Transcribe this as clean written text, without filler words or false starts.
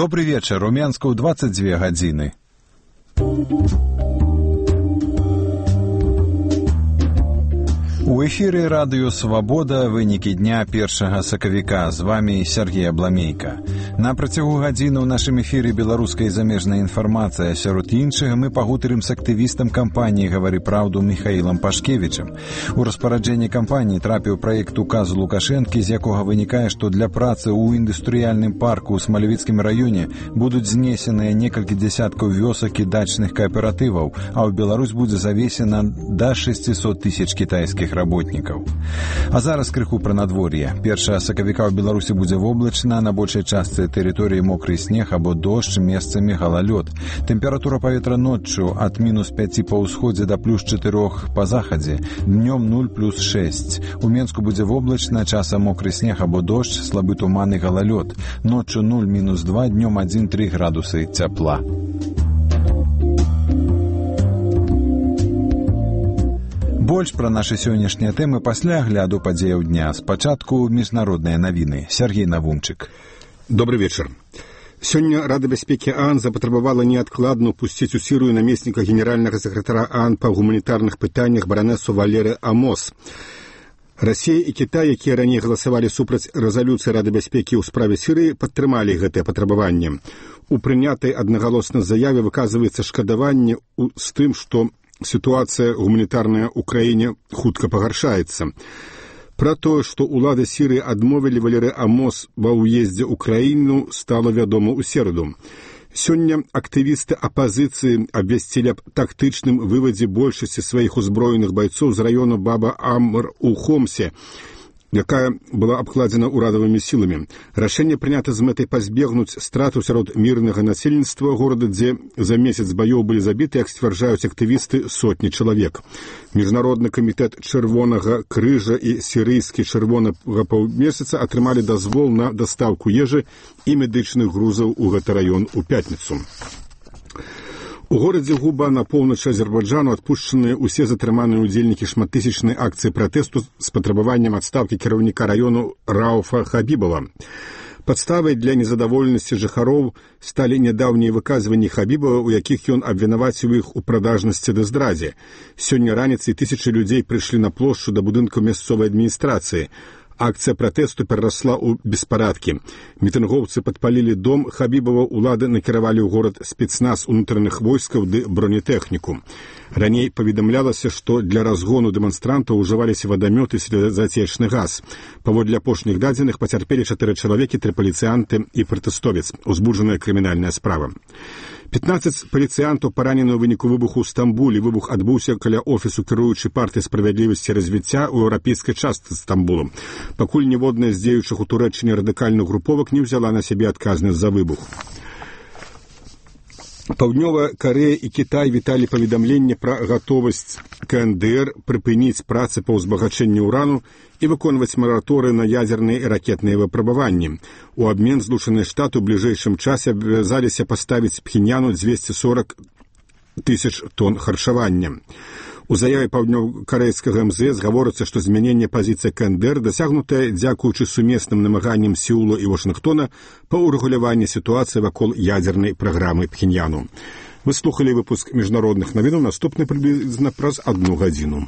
Добрый вечер. У Менска ў 22 гадзіны. У эфіры радыё «Свабода» вынікі дня 1 сакавіка. З вами Сергей Абламейка. На працягу гадзіны ў нашым эфіры беларуская і замежная інфармацыя. Сярод іншага мы пагутарым з актывістам кампаніі «Гавары праўду» Міхаілам Пашкевічам. У распараджэнні кампаніі трапіў праект указу Лукашэнкі, з якога вынікае, што для працы ў індустрыяльным парку ў Смалявіцкім раёне будуць знесеныя некалькі дзясяткаў вёсак і дачных кааператываў, а ў Беларусь будзе завесена да 600 тысяч кітайскіх работнікаў. А зараз крыху пра надвор'е. 1 сакавіка ў Беларусі будзе воблачна, на большай частцы тэрыторыі мокры снег або дождж, месцамі галалёд. Тэмпература паветра ноччу ад -5 па ўсходзе да +4 па захадзе, днём 0+6. У Менску будзе воблачна, часам мокры снег або дождж, слабы туман і галалёд. Ноччу 0-2, днём 1-3 градусы цяпла. Больш пра нашы сённяшнія тэмы пасля агляду падзеяў дня. Спачатку міжнародныя навіны. Сергей Навумчык. Добрый вечер. Сёння Рада бяспекі ААН запатрабавала неадкладна ўпусціць у Сірыю намесніка генеральнага сакратара ААН па гуманітарных пытаннях баранесу Валеры Амос. Расія і Кітай, якія раней галасавалі супраць рэзалюцыі Рады бяспекі ў справе Сірыі, падтрымалі гэтае патрабаванне. У прынятай аднагалосна заяве выказваецца шкадаванне з тым, што сітуацыя гуманітарная ў краіне хутка пагаршаецца. Пра тое, што ўлады Сірыі адмовілі Валеры Амос ва ўездзе ў краіну, стала вядома ў сераду. Сёння актывісты апазіцыі абвясцілі аб тактычным вывадзе большасці сваіх узброеных байцоў з раёну Баба-Амр у Хомсе, якая была абкладзена ўрадавымі сіламі. Рашэнне прынята з мэтай пазбегнуць страту сярод мірнага насельніцтва горада, дзе за месяц баёў былі забіты, як сцвярджаюць актывісты, сотні чалавек. Міжнародны камітэт Чырвонага крыжа і сірыйскі чырвонага паўмесяца атрымалі дазвол на дастаўку ежы і медычных грузаў у гэты раён у пятніцу. У горадзе Губа на поўначы Азербайджану адпушчаныя ўсе затрыманыя ўдзельнікі шматтысячнай акцыі пратэсту з патрабаваннем адстаўкі кіраўніка раёну Рауфа Хабібова. Падставай для незадаволенасці жыхароў сталі нядаўнія выказванні Хабібова, у якіх ён абвінаваціў іх у прадажнасці ды здрадзе. Сёння раніцай тысячы людзей прыйшлі на плошчу да будынку мясцовай адміністрацыі. Акцыя пратэсту перарасла ў беспарадкі. Мітынгоўцы падпалілі дом Хабібова, улады накіравалі ў горад спецназ унутраных войскаў ды бронетэхніку. Раней паведамлялася, што для разгону дэманстрантаў ужываліся вадамёты і слезацечны газ. Паводле апошніх дадзеных пацярпелі 4 чалавекі, 3 паліцыянты і пратэстовец. Узбуджаная крымінальная справа. 15 паліцыянтаў паранены ў выніку выбуху ў Стамбулі. Выбух адбыўся каля офісу кіруючай партыі справядлівасці і развіцця ў еўрапейскай частцы Стамбулу. Пакуль ніводная з дзеючых у Турэччыне радыкальных груповак не ўзяла на сябе адказнасць за выбух. Паўднёвая Карэя і Кітай віталі паведамленне пра гатовасць КНДР прыпыніць працы па ўзбагачэнні ўрану і выконваць мараторы на ядзерныя і ракетныя выпрабаванні. У абмен Злучаныя Штаты ў бліжэйшым часе абавязаліся паставіць Пхеньяну 240 тысяч тонн харчавання. У заяве паўднёва-карэйскага МЗС гаворыцца, што змяненне пазіцыі КНДР дасягнутае дзякуючы сумесным намаганням Сеула і Вашынгтона па ўрэгуляванні сітуацыі вакол ядзернай праграмы Пхеньяну. Вы слухалі выпуск міжнародных навінаў, наступны прыблізна праз 1 гадзіну.